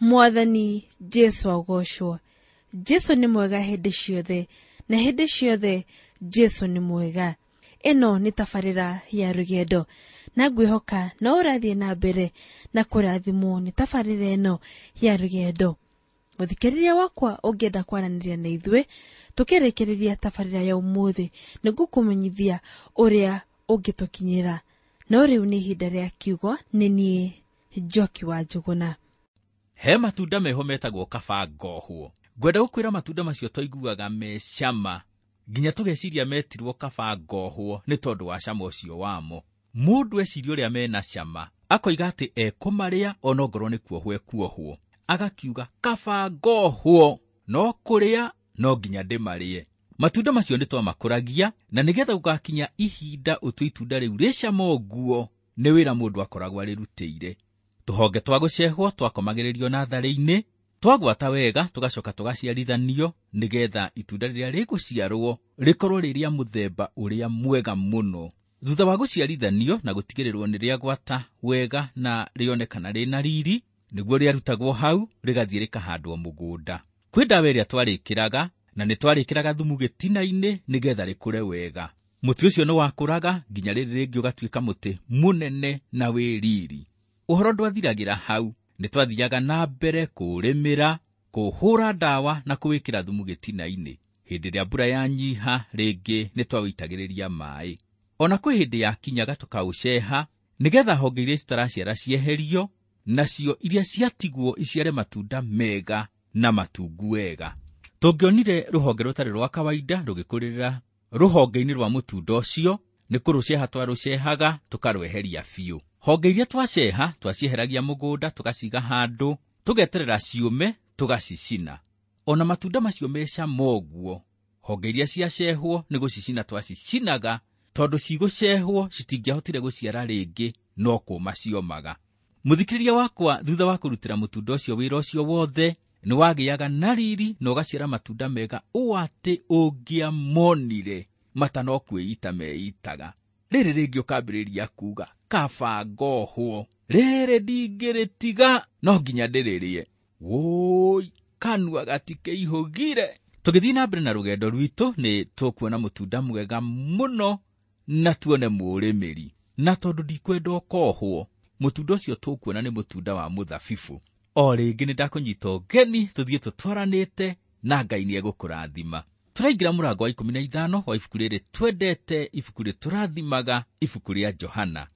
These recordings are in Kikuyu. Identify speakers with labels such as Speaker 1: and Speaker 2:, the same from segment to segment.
Speaker 1: Mwathani Jesu agocwo. Jesu nĩ mwega hĩndĩ ciothe, na hĩndĩ ciothe Jesu nĩ mwega. Ĩno nĩ tabarĩra ya rũgendo, na ngwĩhoka no ũrathiĩ na mbere na kũrathimwo nĩ tabarĩra ĩno ya rũgendo. Mũthikĩrĩria wakwa, ũngĩenda kwaranĩria na ithuĩ tũkĩrĩkĩrĩria tabarĩra ya ũmũthĩ, nĩngũkũmenyithia ũrĩa ũngĩtũkinyĩra. No rĩu nĩ ihinda rĩa kiugo. Nĩ niĩ Njoki wa Njũgũna.
Speaker 2: He matunda meho metagwo kaba ngohwo. Ngwenda gũkwĩra matunda macio twaiguaga me cama nginya tũgeciria metirwo kaba ngohwo nĩ tondũ wa cama ũcio wamo. Mũndũ eciria ũrĩa mena cama akoiga atĩ ekũmarĩa onongorwo nĩ kuohwo ekuohwo, agakiuga kaba ngohwo no kũrĩa no nginya ndĩmarĩe. Matunda macio nĩ twamakũragia, na nĩgetha gũgakinya ihinda ũtue itunda rĩu rĩ cama ũguo, nĩ wĩra mũndũ akoragwo arĩrutĩire. Tũhonge twa gũcehwo twakomagĩrĩrio natharĩ-inĩ, twagwata wega tũgacoka tũgaciarithanio nĩgetha itunda rĩrĩa rĩgũciarwo rĩkorwo rĩ rĩa mũthemba ũrĩa mwega mũno. Thutha wa gũciarithanio na gũtigĩrĩrwo nĩ rĩagwata wega na rĩonekana rĩna riri, nĩguo rĩarutagwo hau rĩgathiĩ rĩkahandwo mũgũnda. Kwĩ ndawa ĩrĩa twarĩkĩraga, na nĩ twarĩkĩraga thumu gĩtina-inĩ nĩgetha rĩkũre wega. Mũtĩ ũcio nĩ wakũraga nginya rĩrĩ rĩngĩ ũgatuĩka mũtĩ mũnene na wĩ riri. Ũhoro ndwathiragĩra hau, nĩ twathiaga na mbere kũũrĩmĩra, kũũhũra ndawa na kũwĩkĩra thumu gĩtina-inĩ. Hĩndĩ ĩrĩa mbura yanyiha rĩngĩ nĩ twaũitagĩrĩria maĩ. Ona kwĩ hĩndĩ yakinyaga tũkaũceha nĩgetha honge iria citaraciara cieherio, nacio iria ciatigwo iciare matunda mega na matungu wega. Tũngĩonire rũhonge rũtarĩ rwa kawaida rũgĩkũrĩrĩra rũhonge-inĩ rwa mũtunda ũcio, nĩ kũrũceha twarũcehaga tũkarweheria biũ. Honge iria twaceha twacieheragia mũgũnda tũgaciga handũ, tũgeterera ciũme tũgacicina. Ona matunda macio me cama ũguo, honge iria ciacehwo nĩ gũcicina twacicinaga, tondũ cigũcehwo citingĩahotire gũciara rĩngĩ, no kũma ciomaga. Mũthikĩrĩria wakwa, thutha wa kũrutĩra mũtunda ũcio wĩra ũcio wothe, nĩ wagĩaga na riri na ũgaciara matunda mega ũũ atĩ ũngĩamonire matano kwĩita meitaga. Rĩrĩ rĩngĩ ũkambĩrĩria kuga kaba ngohwo, rĩrĩ ndingĩrĩtiga no nginya ndĩrĩrĩe. Wũi, kanua gatikĩihũgire. Tũgĩthiĩ na mbere na rũgendo rwitũ nĩ tũkuona mũtunda mwega mũno na tuone mũrĩmĩri. Na tondũ ndikwenda ũkohwo, mũtunda ũcio tũkuona nĩ mũtunda wa mũthabibũ. O rĩngĩ nĩ ndakũnyita ũgeni tũthiĩ tũtwaranĩte na Ngai nĩ egũkũrathima. Tũraingĩra mũrango wa 15 wa ibuku rĩrĩ twendete, ibuku rĩtũrathimaga, ibuku rĩa Johana.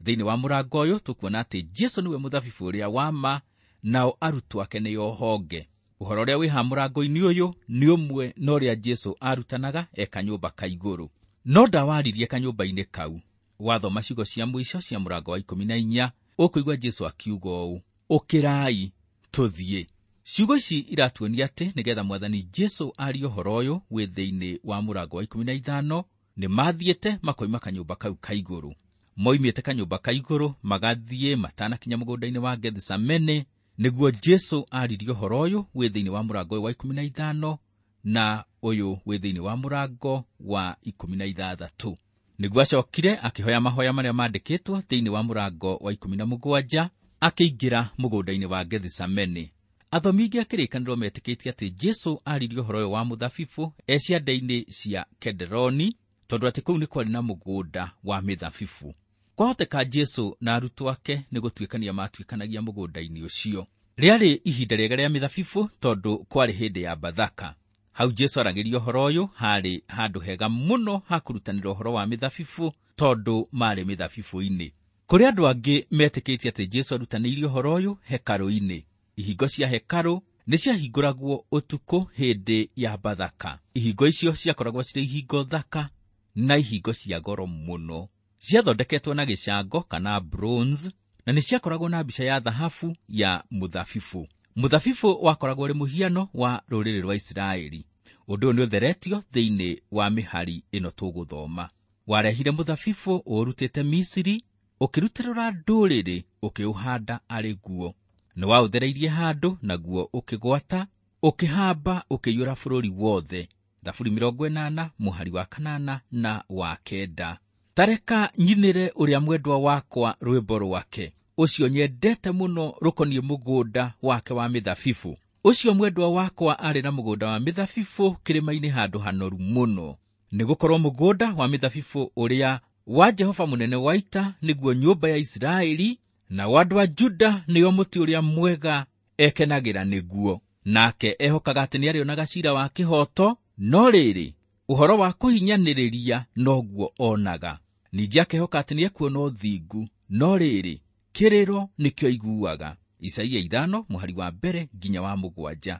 Speaker 2: Thĩinĩ wa mũrango ũyũ tũkuona atĩ Jesu nĩwe mũthabibũ ũrĩa wa ma, nao arutwo ake nĩo honge. Ũhoro ũrĩa wĩ haha mũrango-inĩ ũyũ nĩ ũmwe na ũrĩa Jesu arutanaga e kanyũmba ka igũrũ. No ndawaririe kanyũmba-inĩ kau. Wathoma ciugo cia mũico cia mũrango wa 14, ũkũigua Jesu akiuga ũũ, ũkĩrai tũthiĩ. Ciugo ici iratuonia atĩ nĩgetha Mwathani Jesu arie ũhoro ũyũ wĩ thĩinĩ wa mũrango wa 15, nĩ mathiĩte makoima kanyũmba kau ka igũrũ. Moimĩte kanyũmba ka igũrũ magathiĩ matanakinya mũgũnda-inĩ wa Gethisemane, nĩguo Jesu aririe ũhoro ũyũ wĩ thĩinĩ wa mũrango ũyũ wa 15 na ũyũ wĩ thĩinĩ wa mũrango wa 16. Nĩguo acokire akĩhoya mahoya marĩa mandĩkĩtwo thĩinĩ wa mũrango wa 17, akĩingĩra mũgũnda-inĩ wa Gethisemane. Athomi aingĩ a kĩrĩkanĩro metĩkĩtie atĩ Jesu aririe ũhoro ũyũ wa mũthabibũ e cianda-inĩ cia Kederoni, tondũ atĩ kũu nĩ kwarĩ na mũgũnda wa mĩthabibũ. Kwahoteka Jesu na arutwo ake nĩ gũtuĩkania matuĩkanagia mũgũnda-inĩ ũcio. Rĩarĩ ihinda rĩega rĩa mĩthabibũ tondũ kwarĩ hĩndĩ ya Bathaka. Hau Jesu aragĩria ũhoro ũyũ harĩ handũ hega mũno ha kũrutanĩra ũhoro wa mĩthabibũ tondũ marĩ mĩthabibũ-inĩ. Kũrĩ andũ angĩ metĩkĩtie atĩ Jesu arutanĩirie ũhoro ũyũ hekarũ-inĩ. Ihingo cia hekarũ nĩ ciahingũragwo ũtukũ hĩndĩ ya Bathaka. Ihingo icio ciakoragwo cirĩ ihingo thaka na ihingo cia goro mũno. Ciathondeketwo na gĩcango kana bronze, na nĩ ciakoragwo na mbica ya thahabu ya mũthabibũ. Mũthabibũ wakoragwo ũrĩ mũhiano wa rũrĩrĩ rwa Isiraeli. Ũndũ ũyũ nĩ ũtheretio thĩinĩ wa mĩhari ĩno tũgũthoma. Warehire mũthabibũ ũũrutĩte Misiri, ũkĩrutĩrũra ndũrĩrĩ, ũkĩũhanda arĩ guo. Nĩ waũthereirie handũ, naguo ũkĩgwata, ũkĩhamba, ũkĩiyũra bũrũri wothe. Thaburi 80 mũhari wa 8 na wa 9. Tareka nyinĩre ũrĩa mwendwa wakwa rwĩmbo rwake. ũcio nyendete mũno rũkoniĩ mũgũnda wake wa mĩthabibũ. Ũcio mwendwa wakwa arĩ na mũgũnda wa mĩthabibũ kĩrĩma-inĩ handũ hanoru mũno. Nĩgũkorwo mũgũnda wa mĩthabibũ ũrĩa wa Jehova mũnene wa ita nĩguo nyũmba ya Isiraeli, na wa andũ a Juda nĩo mũtĩ ũrĩa mwega ekenagĩra nĩguo. Nake ehokaga atĩ nĩarĩonaga ciira wa kĩhooto, no rĩrĩ, ũhoro wa kũhinyanĩrĩria noguo onaga. Ningĩ akehoka atĩ nĩekuona ũthingu, no rĩrĩ, kĩrĩro nĩkĩo aiguaga. Isaia 5 mũhari wa 1 nginya wa 7.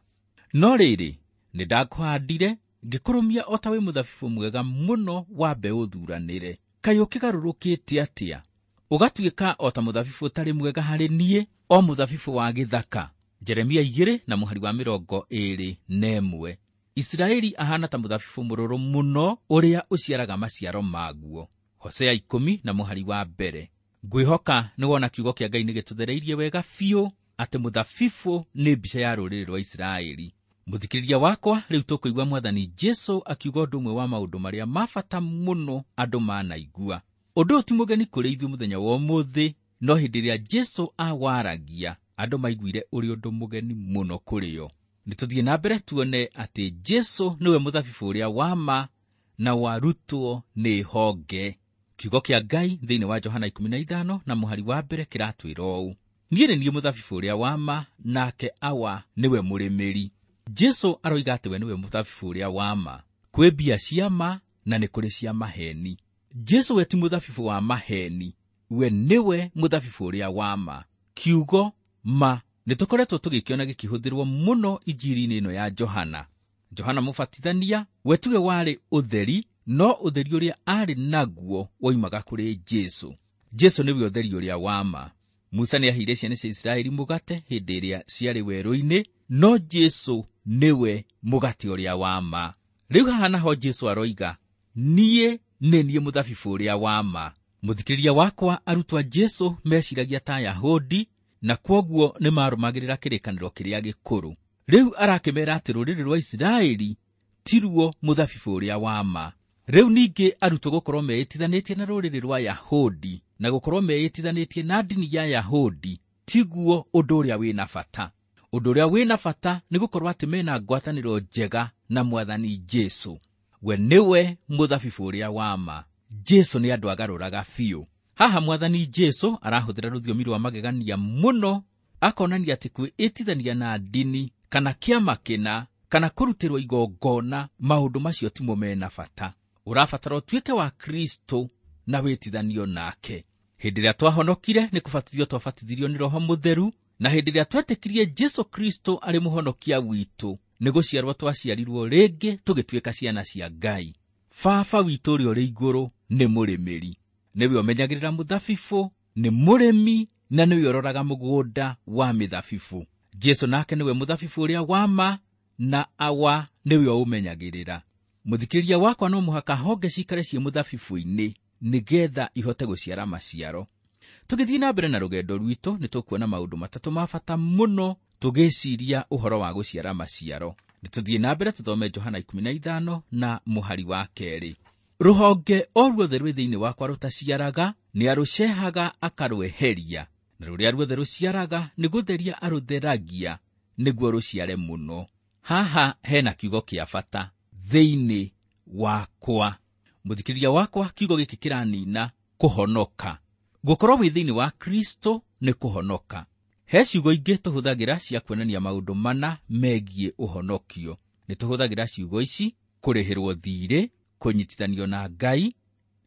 Speaker 2: No rĩrĩ, nĩndakũhandire ngĩkũrũmia o ta wĩ mũthabibũ mwega mũno wa mbeũ thuranĩre. Kaĩ ũkĩgarũrũkĩte atĩa? Ũgatuĩka o ta mũthabibũ ũtarĩ mwega harĩ niĩ, o mũthabibũ wa gĩthaka. Jeremia 2 na mũhari wa 21. Isiraeli ahana ta mũthabibũ mũrũrũ mũno ũrĩa ũciaraga maciaro maguo. Hosea 10 na mũhari wa 1. Ngwĩhoka nĩwona kiugo kĩa Ngai nĩgĩtũthereirie wega biũ atĩ mũthabibũ nĩ mbica ya rũrĩrĩ rwa Isiraeli. Mũthikĩrĩria wakwa, rĩu tũkũigua Mwathani Jesũ akiuga ũndũ ũmwe wa maũndũ marĩa ma bata mũno andũ manaigua. Ũndũ ũyũ ti mũgeni kũrĩ ithuĩ mũthenya wa ũmũthĩ, no hĩndĩ ĩrĩa Jesũ awaragia, andũ maiguire ũrĩ ũndũ mũgeni mũno kũrĩ o. Nĩtũthiĩ na mbere tuone atĩ Jesũ nĩwe mũthabibũ ũrĩa wa ma na warutwo nĩ honge. Kiugo kĩa Ngai thĩinĩ wa Johana 15 na mũhari wa 1 kĩratwĩra ũũ: Niĩ nĩ niĩ mũthabibũ ũrĩa wa ma, nake Awa nĩwe mũrĩmĩri. Jesũ aroiga atĩ we nĩwe mũthabibũ ũrĩa wa ma. Kwĩ mbia cia ma na nĩ kũrĩ cia maheni. Jesũ we ti mũthabibũ wa maheni, we nĩwe mũthabibũ ũrĩa wa ma. Kiugo ma nĩtũkoretwo tũgĩkĩona gĩkĩhũthĩrwo mũno injiri-inĩ ĩno ya Johana. Johana Mũbatithania we tiwe warĩ ũtheri, no ũtheri ũrĩa arĩ naguo woimaga kũrĩ Jesũ. Jesũ nĩwe ũtheri ũrĩa wa ma. Musa nĩaheire ciana cia Isiraeli mũgate hĩndĩ ĩrĩa ciarĩ werũ-inĩ, no Jesũ nĩwe mũgate ũrĩa wa ma. Rĩu haha naho Jesũ aroiga, niĩ nĩ niĩ mũthabibũ ũrĩa wa ma. Mũthikĩrĩria wakwa, arutwo a Jesũ meciragia ta Ayahudi, na kwoguo nĩmarũmagĩrĩra kĩrĩkanĩro kĩrĩa gĩkũrũ. Rĩu arakĩmera atĩ rũrĩrĩ rwa Isiraeli tiruo mũthabibũ ũrĩa wa ma. Rĩu ningĩ arutwo gũkorwo meĩtithanĩtie na rũrĩrĩ rwa Yahudi na gũkorwo meĩtithanĩtie na ndini ya Yahudi tiguo ũndũ ũrĩa wĩna bata. Ũndũ ũrĩa wĩna bata nĩ gũkorwo atĩ mena ngwatanĩro njega na Mwathani Jesũ. We nĩwe mũthabibũ ũrĩa wa ma. Jesũ nĩ andũ agarũraga biũ. Haha Mwathani Jesũ arahũthĩra rũthiomi rwa magegania mũno, akonania atĩ kwĩĩtithania na ndini kana kĩama kĩna kana kũrutĩrwo igongona, maũndũ macio timo mena bata. Ũrabatara ũtuĩke wa Kristo na wĩtithanio nake. Hĩndĩ ĩrĩa twahonokire nĩ kũbatithio twabatithirio nĩ Roho Mũtheru, na hĩndĩ ĩrĩa twetĩkirie Jesũ Kristo arĩ mũhonokia witũ, nĩ gũciarwo twaciarirwo rĩngĩ tũgĩtuĩka ciana cia Ngai. Baba witũ ũrĩa ũrĩ igũrũ nĩ mũrĩmĩri, nĩwe ũmenyagĩrĩra mũthabibũ, nĩ mũrĩmi na nĩwe ũroraga mũgũnda wa mĩthabibũ. Jesũ nake nĩwe mũthabibũ ũrĩa wa ma, na Awa nĩwe ũmenyagĩrĩra. Mũthikĩrĩria wakwa, no mũhaka honge cikare ciĩ mũthabibũ-inĩ nĩgetha ihote gũciara maciaro. Tũgĩthiĩ na mbere na rũgendo rwitũ, nĩtũkuona maũndũ matatũ ma bata mũno tũgĩciria ũhoro wa gũciara maciaro. Nĩtũthiĩ na mbere tũthome Johana 15 na mũhari wa 2. Rũhonge o ruothe rwĩ thĩinĩ wakwa rũtaciaraga nĩarũcehaga akarweheria, na rũrĩa ruothe rũciaraga nĩ gũtheria arũtheragia nĩguo rũciare mũno. Haha hena kiugo kĩa bata, thĩinĩ wakwa. Mũthikĩrĩria wakwa, kiugo gĩkĩ kĩranina kũhonoka. Gũkorwo wĩ thĩinĩ wa Kristo nĩ kũhonoka. He ciugo ingĩ tũhũthagĩra cia kuonania maũndũ mana megiĩ ũhonokio. Nĩtũhũthagĩra ciugo ici: kũrĩhĩrwo thiirĩ, kũnyitithanio na Ngai,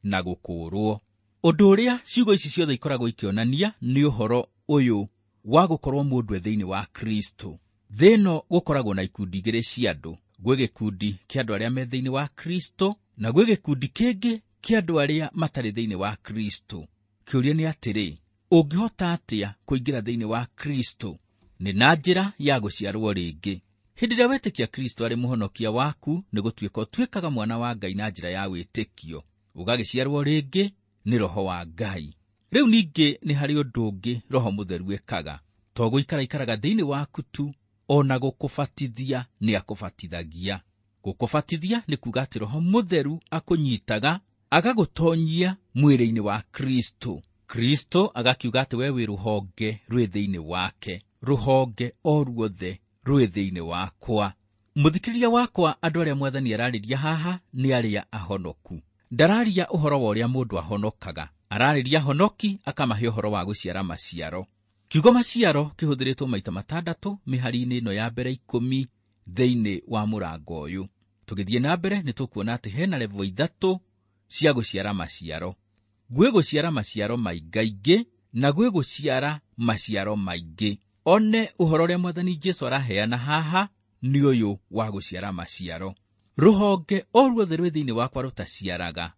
Speaker 2: na gũkũũrwo. Ũndũ ũrĩa ciugo ici ciothe ikoragwo ikĩonania nĩ ũhoro ũyũ wa gũkorwo mũndũ e thĩinĩ wa Kristo. Thĩ ĩno gũkoragwo na ikundi igĩrĩ cia andũ. Gwĩ gĩkundi kĩa andũ arĩa me thĩinĩ wa Kristo, na gwĩ gĩkundi kĩngĩ kĩa andũ arĩa matarĩ thĩinĩ wa Kristo. Kĩũria nĩ atĩrĩ, ũngĩhota atĩa kũingĩra thĩinĩ wa Kristo? Nĩ na njĩra ya gũciarwo rĩngĩ. Hĩndĩ ĩrĩa wetĩkia Kristo arĩ mũhonokia waku, nĩ gũtuĩka ũtuĩkaga mwana wa Ngai na njĩra ya wĩtĩkio. Ũgagĩciarwo rĩngĩ nĩ Roho wa Ngai. Rĩu ningĩ nĩ harĩ ũndũ ũngĩ Roho Mũtheru ekaga. To gũikara ikaraga thĩinĩ waku tu, ona gũkũbatithia nĩ akũbatithagia. Gũkũbatithia nĩ kuuga atĩ Roho Mũtheru akũnyitaga agagũtonyia mwĩrĩ-inĩ wa Kristo. Kristo agakiuga atĩ we wĩ rũhonge rwĩ thĩinĩ wake, rũhonge o ruothe rwĩ thĩinĩ wakwa. Mũthikĩrĩria wakwa, andũ arĩa mwathani ararĩria haha nĩ arĩa ahonoku. Ndararia ũhoro wa ũrĩa mũndũ ahonokaga, ararĩria honoki akamahe ũhoro wa gũciara maciaro. Kiugo maciaro kĩhũthĩrĩtwo maita 6 mĩhari-inĩ ĩno ya mbere 10 thĩinĩ wa mũrango ũyũ. Tũgĩthiĩ na mbere nĩ tũkuona atĩ hena levo 3 cia gũciara maciaro. Gwĩ gũciara maciaro maingaingĩ na gwĩ gũciara maciaro maingĩ. One ũhoro ũrĩa mwathani Jesũ araheana haha nĩ ũyũ wa gũciara maciaro. Rũhonge o ruothe rwĩ thĩinĩ wakwa rũtaciaraga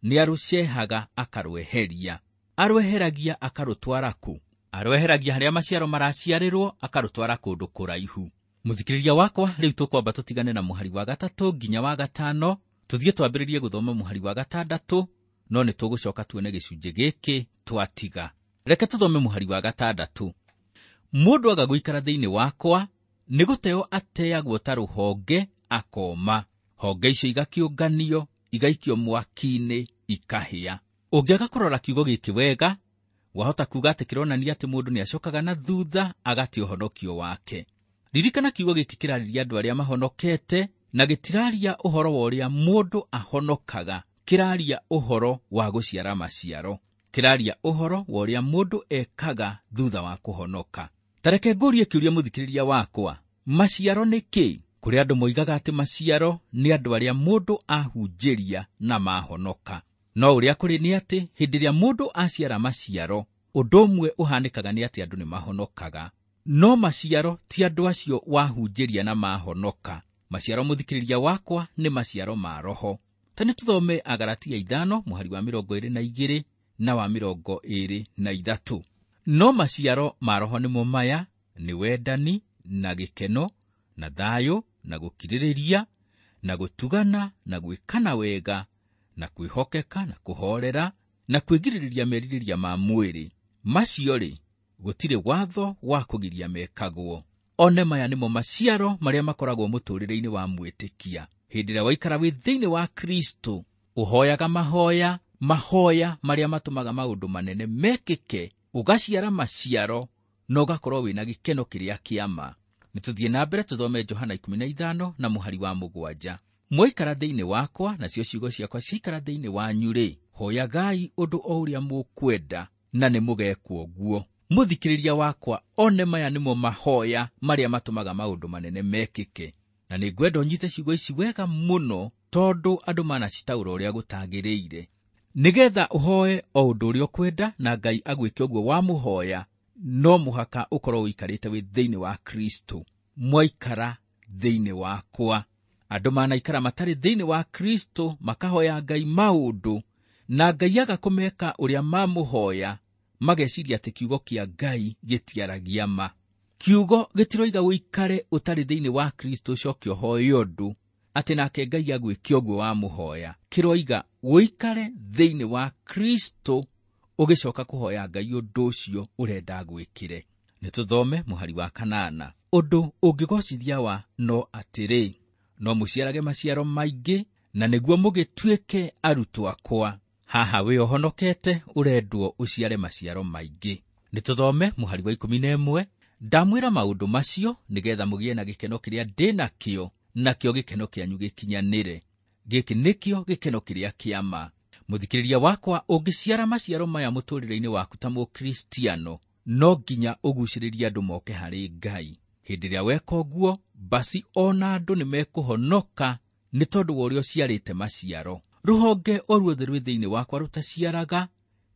Speaker 2: nĩ arũcehaga akarweheria. Arweheragia akarũtwara kũ? Arweheragia harĩa maciaro maraciarĩrwo akarũtwara kũndũ kũraihu. Mũthikĩrĩria wakwa, rĩu tũkwamba tũtigane na mũhari wa 3 nginya wa 5, tũthiĩ twambĩrĩrie gũthoma mũhari wa 6, no nĩ tũgũcoka tuone gĩcunjĩ gĩkĩ twatiga. Reke tũthome mũhari wa 6. Mũndũ aga gũikara thĩinĩ wakwa nĩ gũteo ateagwo ta rũhonge akoma. Honge icio igakĩũnganio, igaikio mwaki-inĩ, ikahĩa. Ũngĩaga kũrora kiugo gĩkĩ wega, wahota kuuga atĩ kĩronania atĩ mũndũ nĩacokaga na thutha agate ũhonokio wake. Ririkana kiugo gĩkĩ kĩrarĩria andũ arĩa mahonokete na gĩtiraria ũhoro wa ũrĩa mũndũ ahonokaga, kĩraria ũhoro wa gũciara maciaro, kĩraria ũhoro wa ũrĩa mũndũ ekaga thutha wa kũhonoka. Ta reke ngũrie kĩũria mũthikĩrĩria wakwa, maciaro nĩ kĩ? Kũrĩ andũ moigaga atĩ maciaro nĩ andũ arĩa mũndũ ahunjĩria na mahonoka. No ũrĩa kũrĩ nĩ atĩ hĩndĩ ĩrĩa mũndũ aciara maciaro, ũndũ ũmwe ũhanĩkaga nĩ atĩ andũ nĩ mahonokaga. No maciaro ti andũ acio wahunjĩria na mahonoka. Maciaro mũthikĩrĩria wakwa nĩ maciaro ma roho. Ta nĩ tũthome Agalatia 5 mũhari wa 22 na wa 23. No maciaro ma roho nĩmo maya: nĩ wendani na gĩkeno na thayũ na gũkirĩrĩria na gũtugana na gwĩkana wega na kwĩhokeka na kũhoorera na kwĩgirĩrĩria merirĩria ma mwĩrĩ. Macio-rĩ, gũtirĩ watho wa kũgiria mekagwo. One maya nĩmo maciaro marĩa makoragwo mũtũũrĩre-inĩ wa mwĩtĩkia. Hĩndĩ ĩrĩa waikara wĩ thĩinĩ wa Kristo, ũhoyaga mahoya, mahoya marĩa matũmaga maũndũ manene mekĩke, ũgaciara maciaro na ũgakorwo wĩna gĩkeno kĩrĩa kĩa ma. Nĩ tũthiĩ na mbere tũthome Johana 15 na mũhari wa 7. Mwaikara thĩinĩ wakwa nacio ciugo ciakwa ciaikara thĩinĩ wanyu-rĩ, hoyagai ũndũ o ũrĩa mũkwenda na nĩ mũgekwo guo. Mũthikĩrĩria wakwa, one maya nĩmo mahoya marĩa matũmaga maũndũ manene mekĩke. Na nĩ ngwenda ũnyite ciugo ici wega mũno, tondũ andũ manacitaũra ũrĩa gũtagĩrĩire. Nĩgetha ũhoe o ũndũ ũrĩa ũkwenda na Ngai agwĩke ũguo wamũhoya, no mũhaka ũkorwo ũikarĩte wĩ thĩinĩ wa Kristo. Mwaikara thĩinĩ wakwa. Andũ manaikara matarĩ thĩinĩ wa Kristo makahoya Ngai maũndũ na Ngai aga kũmeka ũrĩa mamũhoya, mageciria atĩ kiugo kĩa Ngai gĩtiaragia ma. Kiugo gĩtiroiga ũikare ũtarĩ thĩinĩ wa Kristo ũcoke ũhoe ũndũ atĩ nake Ngai agwĩke ũguo wamũhoya. Kĩroiga ũikare thĩinĩ wa Kristo ũgĩcoka kũhoya Ngai ũndũ ũcio ũrenda agwĩkĩre. Nĩ tũthome mũhari wa 8. Ũndũ ũngĩgocithia wa no atĩrĩ, no mũciarage maciaro maingĩ na nĩguo mũgĩtuĩke arutwo akwa. Haha wĩ ũhonokete ũrendwo ũciare maciaro maingĩ. Nĩ tũthome mũhari wa 11. Ndamwĩra maũndũ macio nĩgetha mũgĩe na gĩkeno kĩrĩa ndĩ nakĩo, nakĩo gĩkeno kĩanyu gĩkinyanĩre. Gĩkĩ nĩkĩo gĩkeno kĩrĩa kĩa ma. Mũthikĩrĩria wakwa, ũngĩciara maciaro maya mũtũũrĩre-inĩ waku ta Mũkristiano, no nginya ũgucĩrĩrie andũ moke harĩ Ngai. Hĩndĩ ĩrĩa weka ũguo, basi ona andũ nĩ mekũhonoka nĩ tondũ wa ũrĩa ũciarĩte maciaro. Rũhonge o ruothe rwĩ thĩinĩ wakwa rũtaciaraga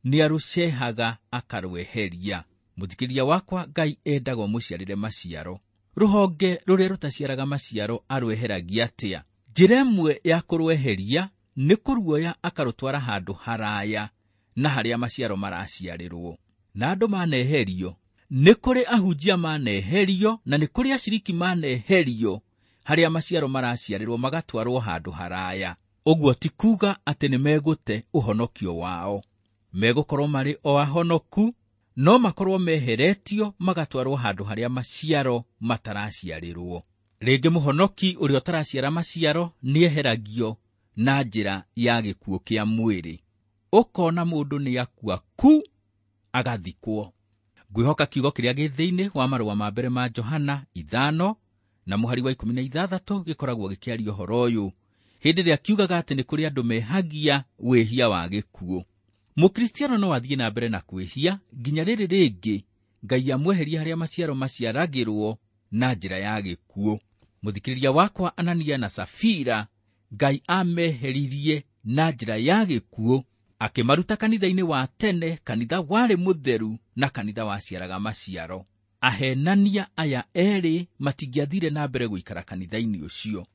Speaker 2: nĩ arũcehaga akarweheria. Mũthikĩrĩria wakwa, Ngai endaga ũmũciarĩre maciaro. Rũhonge rũrĩa rũtaciaraga maciaro arweheragia atĩa? Njĩra ĩmwe ya kũrweheria nĩ kũruoya akarũtwara handũ haraya na harĩa maciaro maraciarĩrwo. Na andũ maneherio, nĩ kũrĩ ahunjia maneherio na nĩ kũrĩ aciriki maneherio harĩa maciaro maraciarĩrwo magatwarwo handũ haraya. Ũguo ti kuuga atĩ nĩ megũte ũhonokio wao. Megũkorwo marĩ o ahonoku, no makorwo meheretio magatwarwo handũ harĩa maciaro mataraciarĩrwo. Rĩngĩ mũhonoki ũrĩa ũtaraciara maciaro nĩeheragio na njĩra ya gĩkuũ kĩa mwĩrĩ. Ũkona mũndũ nĩ akua ku, agathikwo. Ngwĩhoka kiugo kĩrĩa gĩ thĩinĩ wa marũa ma mbere ma Johana 5 na mũhari wa 16 gĩkoragwo gĩkĩaria ũhoro ũyũ, hĩndĩ ĩrĩa kiugaga atĩ nĩ kũrĩ andũ mehagia wĩhia wa gĩkuũ. Mũkristiano no athiĩ na mbere na kwĩhia nginya rĩrĩ rĩngĩ Ngai amweherie harĩa maciaro maciaragĩrwo na njĩra ya gĩkuũ. Mũthikĩrĩria wakwa, Anania na Safira Ngai ameheririe na njĩra ya gĩkuũ, akĩmaruta kanitha-inĩ wa tene, kanitha warĩ mũtheru na kanitha waciaraga maciaro. Ahenania aya erĩ matingĩathire na mbere gũikara kanitha-inĩ ũcio.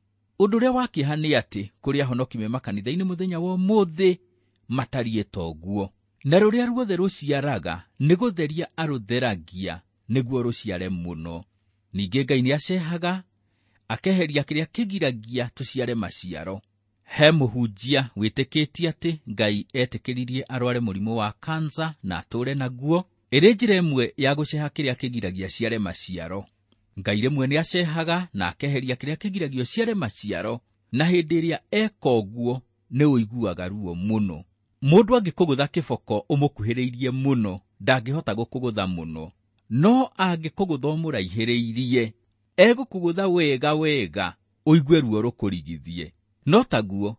Speaker 2: Ũndũ ũrĩa wa kĩeha nĩ atĩ kũrĩ ahonoki me makanitha-inĩ mũthenya wa ũmũthĩ matariĩ ta ũguo, na rũrĩa ruothe rũciaraga nĩ gũtheria arũtheragia nĩguo rũciare mũno. Ningĩ Ngai nĩacehaga akeheria kĩrĩa kĩgiragia tũciare maciaro. He mũhunjia wĩtĩkĩtie atĩ Ngai etĩkĩririe arware mũrimũ wa kansa na atũũre naguo, ĩrĩ njĩra ĩmwe ya gũceha kĩrĩa kĩgiragia ciare maciaro. Ngai rĩmwe nĩacehaga na akeheria kĩrĩa kĩgiragia ũciare maciaro, na hĩndĩ ĩrĩa eka ũguo nĩ ũiguaga ruo mũno. Mũndũ angĩkũgũtha kĩboko ũmũkuhĩrĩirie mũno, ndangĩhota gũkũgũtha mũno, no angĩkũgũtha ũmũraihĩrĩirie, egũkũgũtha wega wega ũigue ruo rũkũrigithie. No taguo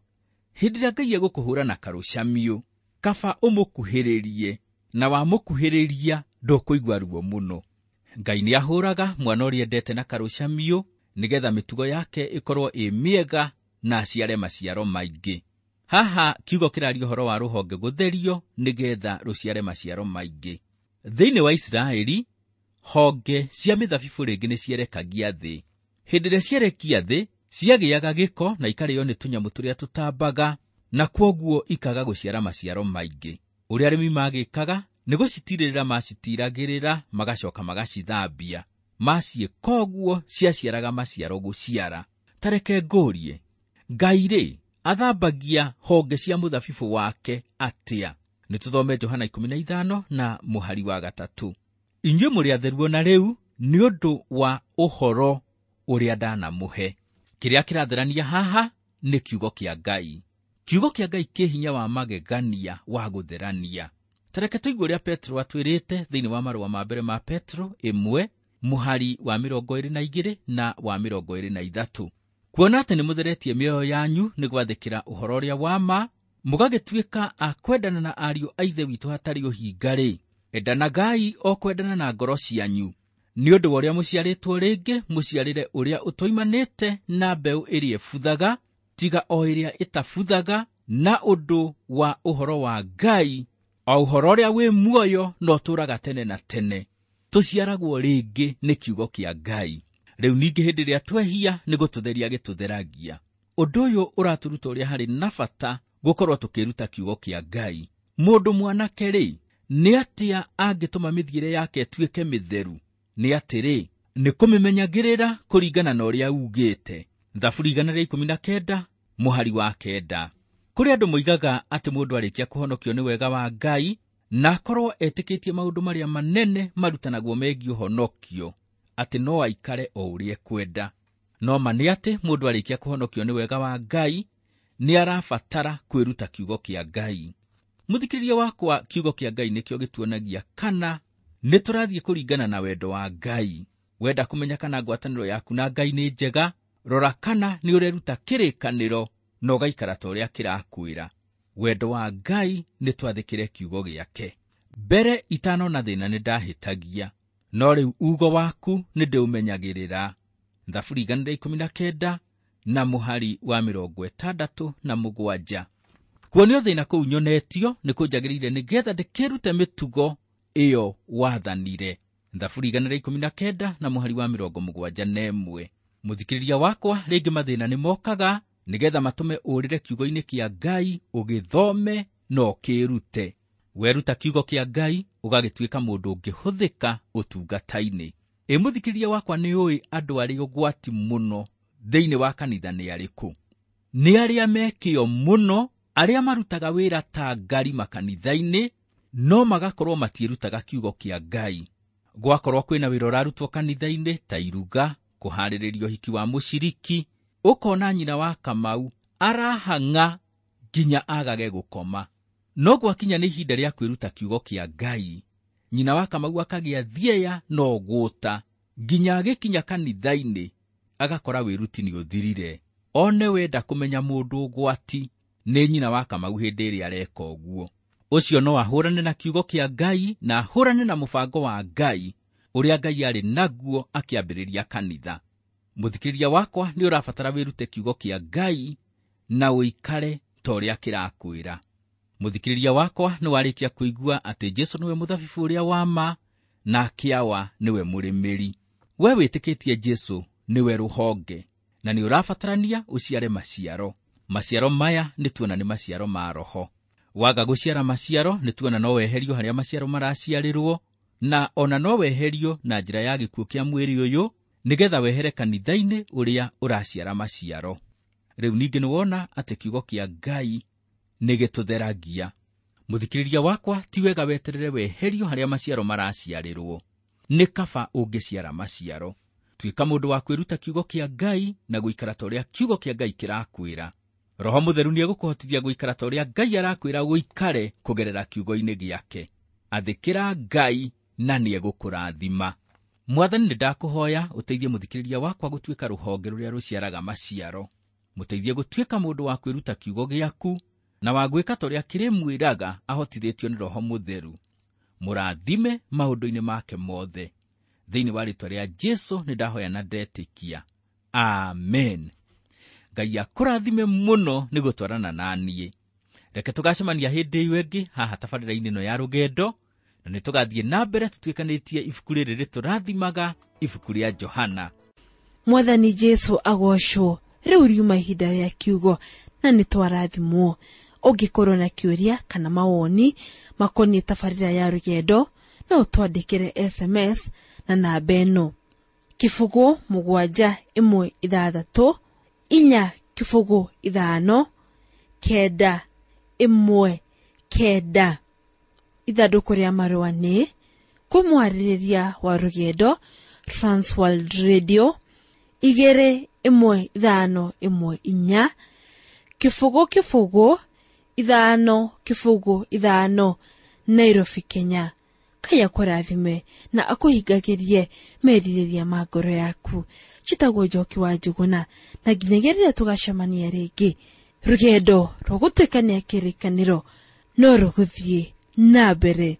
Speaker 2: hĩndĩ ĩrĩa Ngai egũkũhũra na karũcamio, kaba ũmũkuhĩrĩrie, na wamũkuhĩrĩria ndũkũigua ruo mũno. Ngai nĩahũraga mwana ũrĩa endete na karũcamio nĩgetha mĩtugo yake ĩkorwo ĩ mĩega na aciare maciaro maingĩ. Haha kiugo kĩraria ũhoro wa rũhonge gũtherio nĩgetha rũciare maciaro maingĩ. Thĩinĩ wa Isiraeli, honge cia mĩthabibũ rĩngĩ nĩcierekagia thĩ. Hĩndĩ ĩrĩa cierekia thĩ, ciagĩaga gĩko na ikarĩo nĩ tũnyamũ tũrĩa tũtambaga, na kwoguo ikaga gũciara maciaro maingĩ. Ũrĩa arĩmi magĩkaga nĩ gũcitirĩrĩra macitiragĩrĩra, magacoka magacithambia. Maciĩka ũguo ciaciaraga maciaro gũciara. Ta reke ngũrie, Ngai rĩ athambagia honge cia mũthabibũ wake atĩa? Nĩ tũthome Johana 15 na mũhari wa 3. Inyuĩ mũrĩ atheru o na rĩu nĩ ũndũ wa ũhoro ũrĩa ndanamũhe. Kĩrĩa kĩratherania haha nĩ kiugo kĩa Ngai. Kiugo kĩa Ngai kĩ hinya wa magegania wa gũtherania. Ta reke tũigue ũrĩa Petro atwĩrĩte thĩinĩ wa marũa ma mbere ma Petro 1 mũhari wa 22 na wa 23. Kuona atĩ nĩmũtheretie mĩoyo yanyu nĩ gwathĩkĩra ũhoro ũrĩa wa ma, mũgagĩtuĩka a kwendana na ariũ a Ithe witũ hatarĩ ũhinga-rĩ, endanagai o kwendana na ngoro cianyu. Nĩ ũndũ wa ũrĩa mũciarĩtwo rĩngĩ, mũciarĩre ũrĩa ũtoimanĩte na mbeũ ĩrĩa ĩbuthaga, tiga o ĩrĩa ĩtabuthaga, na ũndũ wa ũhoro wa Ngai, o ũhoro ũrĩa wĩ muoyo na ũtũũraga tene na tene. Tũciaragwo rĩngĩ nĩ kiugo kĩa Ngai. Rĩu ningĩ hĩndĩ ĩrĩa twehia nĩ gũtũtheria gĩtũtheragia. Ũndũ ũyũ ũratũruta ũrĩa harĩ na bata gũkorwo tũkĩruta kiugo kĩa Ngai. Mũndũ mwanake rĩ, nĩ atĩa angĩtũma mĩthiĩre yake ĩtuĩke mĩtheru? Nĩ atĩrĩ, nĩ kũmĩmenyagĩrĩra kũringana na ũrĩa ugĩte. Thaburi 119 mũhari wa 9. Kũrĩ andũ moigaga atĩ mũndũ arĩkia kũhonokio nĩ wega wa Ngai na akorwo etĩkĩtie maũndũ marĩa manene marutanagwo megiĩ ũhonokio, atĩ no aikare o ũrĩa ekwenda. No ma nĩ atĩ mũndũ arĩkia kũhonokio nĩ wega wa Ngai nĩ arabatara kwĩruta kiugo kĩa Ngai. Mũthikĩrĩria wakwa, kiugo kĩa Ngai nĩkĩo gĩtuonagia kana nĩ tũrathiĩ kũringana na wendo wa Ngai. Wenda kũmenya kana ngwatanĩro yaku na Ngai nĩ njega, rora kana nĩ ũreruta kĩrĩkanĩro na ũgaikara ta ũrĩa kĩrakwĩra. Wendo wa Ngai nĩ twathĩkĩre kiugo gĩake. Mbere itanona thĩna nĩ ndahĩtagia, no rĩu ugo waku nĩ ndĩũmenyagĩrĩra. Thaburi 119 na mũhari wa 67. Kuonio thĩna kũu nyonetio nĩ kũnjagĩrĩire nĩgetha ndĩkĩrute mĩtugo ĩyo wathanire. Thaburi 119 na mũhari wa 71. Mũthikĩrĩria wakwa, rĩngĩ mathĩna nĩ mokaga nĩgetha matũme ũrĩre kiugo-inĩ kĩa Ngai, ũgĩthome na ũkĩrute. Weruta kiugo kĩa Ngai ũgagĩtuĩka mũndũ ũngĩhũthĩka ũtungata-inĩ. Ĩ mũthikĩrĩria wakwa, nĩ ũĩ andũ arĩa ũgwati mũno thĩinĩ wa kanitha nĩ arĩkũ? Nĩ arĩa mekĩo mũno, arĩa marutaga wĩra ta ngari makanitha-inĩ, no magakorwo matiĩrutaga kiugo kĩa Ngai. Gwakorwo kwĩna wĩra ũrarutwo kanitha-inĩ ta iruga, kũharĩrĩria ũhiki wa mũciriki, ũkona nyina wa Kamau arahang'a nginya agage gũkoma. No gwakinya nĩ ihinda rĩa kwĩruta kiugo kĩa Ngai, Nyina wa Kamau akagĩa thieya no gũta nginya agĩkinya kanitha-inĩ agakora wĩruti nĩ ũthirire. One wenda kũmenya mũndũ ũgwati nĩ nyina wa Kamau hĩndĩ ĩrĩa areka ũguo. Ũcio no ahũrane na kiugo kĩa Ngai na ahũrane na mũbango wa Ngai ũrĩa Ngai arĩ naguo akĩambĩrĩria kanitha. Mũthikĩrĩria wakwa, nĩ ũrabatara wĩrute kiugo kĩa Ngai na ũikare ta ũrĩa kĩrakwĩra. Mũthikĩrĩria wakwa, nĩ warĩkia kũigua atĩ Jesũ nĩwe mũthabibũ ũrĩa wa ma na kĩawa nĩwe mũrĩmĩri. We wĩtĩkĩtie Jesũ nĩwe rũhonge na nĩ ũrabatarania ũciare maciaro. Maciaro maya nĩ tuona nĩ maciaro ma Roho. Waga gũciara maciaro nĩ tuona no weherio harĩa maciaro maraciarĩrwo, na ona no weherio na njĩra ya gĩkuũ kĩa mwĩrĩ ũyũ nĩgetha wehere kanitha-inĩ ũrĩa ũraciara maciaro. Rĩu ningĩ nĩ wona atĩ kiugo kĩa Ngai nĩ gĩtũtheragia. Mũthikĩrĩria wakwa, ti wega weterere weherio harĩa maciaro maraciarĩrwo. Nĩ kaba ũngĩciara maciaro. Tuĩka mũndũ wa kwĩruta kiugo kĩa Ngai na gũikara ta ũrĩa kiugo kĩa Ngai kĩrakwĩra. Roho Mũtheru nĩegũkũhotithia gũikara ta ũrĩa Ngai arakwĩra ũikare kũgerera kiugo-inĩ gĩake. Athĩkĩra Ngai na nĩegũkũrathima. Mwathani, nĩ ndakũhoya ũteithie mũthikĩrĩria wakwa gũtuĩka rũhonge rũrĩa rũciaraga maciaro. Mũteithie gũtuĩka mũndũ wa kwĩruta kiugo gĩaku na wa gwĩka ta ũrĩa kĩrĩmwĩraga ahotithĩtio nĩ Roho Mũtheru. Mũrathime maũndũ-inĩ make mothe. Thĩinĩ wa rĩĩtwa rĩa Jesũ nĩ ndahoya na ndetĩkia. Amen. Ngai akũrathime mũno nĩ gũtwarana na niĩ. Reke tũgacemania hĩndĩ ĩyo ĩngĩ haha tabarĩra-inĩ ĩno ya rũgendo, na nĩ tũgathiĩ na mbere tũtuĩkanĩtie ibuku rĩrĩ rĩtũrathimaga, ibuku rĩa Johana.
Speaker 1: Mwathani Jesũ agocwo. Rĩu riuma ihinda rĩa kiugo na nĩ twarathimwo. Ũngĩkorwo na kĩũria kana mawoni makoniĩ tabarĩra ya rũgendo, no ũtwandĩkĩre SMS na namba ĩno: 0 7 1 6 4 0 5 9 1 9. Ithandũkũ rĩa marũa nĩ kwĩ mwarĩrĩria wa rũgendo, Transworld Radio 2 1 5 1 4 0 0 5 0 5, Nairobi, Kenya. Ngai akũrathime na akũhingagĩrie merirĩria ma ngoro yaku. Njĩtagwo Njoki wa Njũgũna, na nginyagia rĩrĩa tũgacemania rĩngĩ, rũgendo rwa gũtuĩkania kĩrĩkanĩro no rũgũthiĩ na mbere.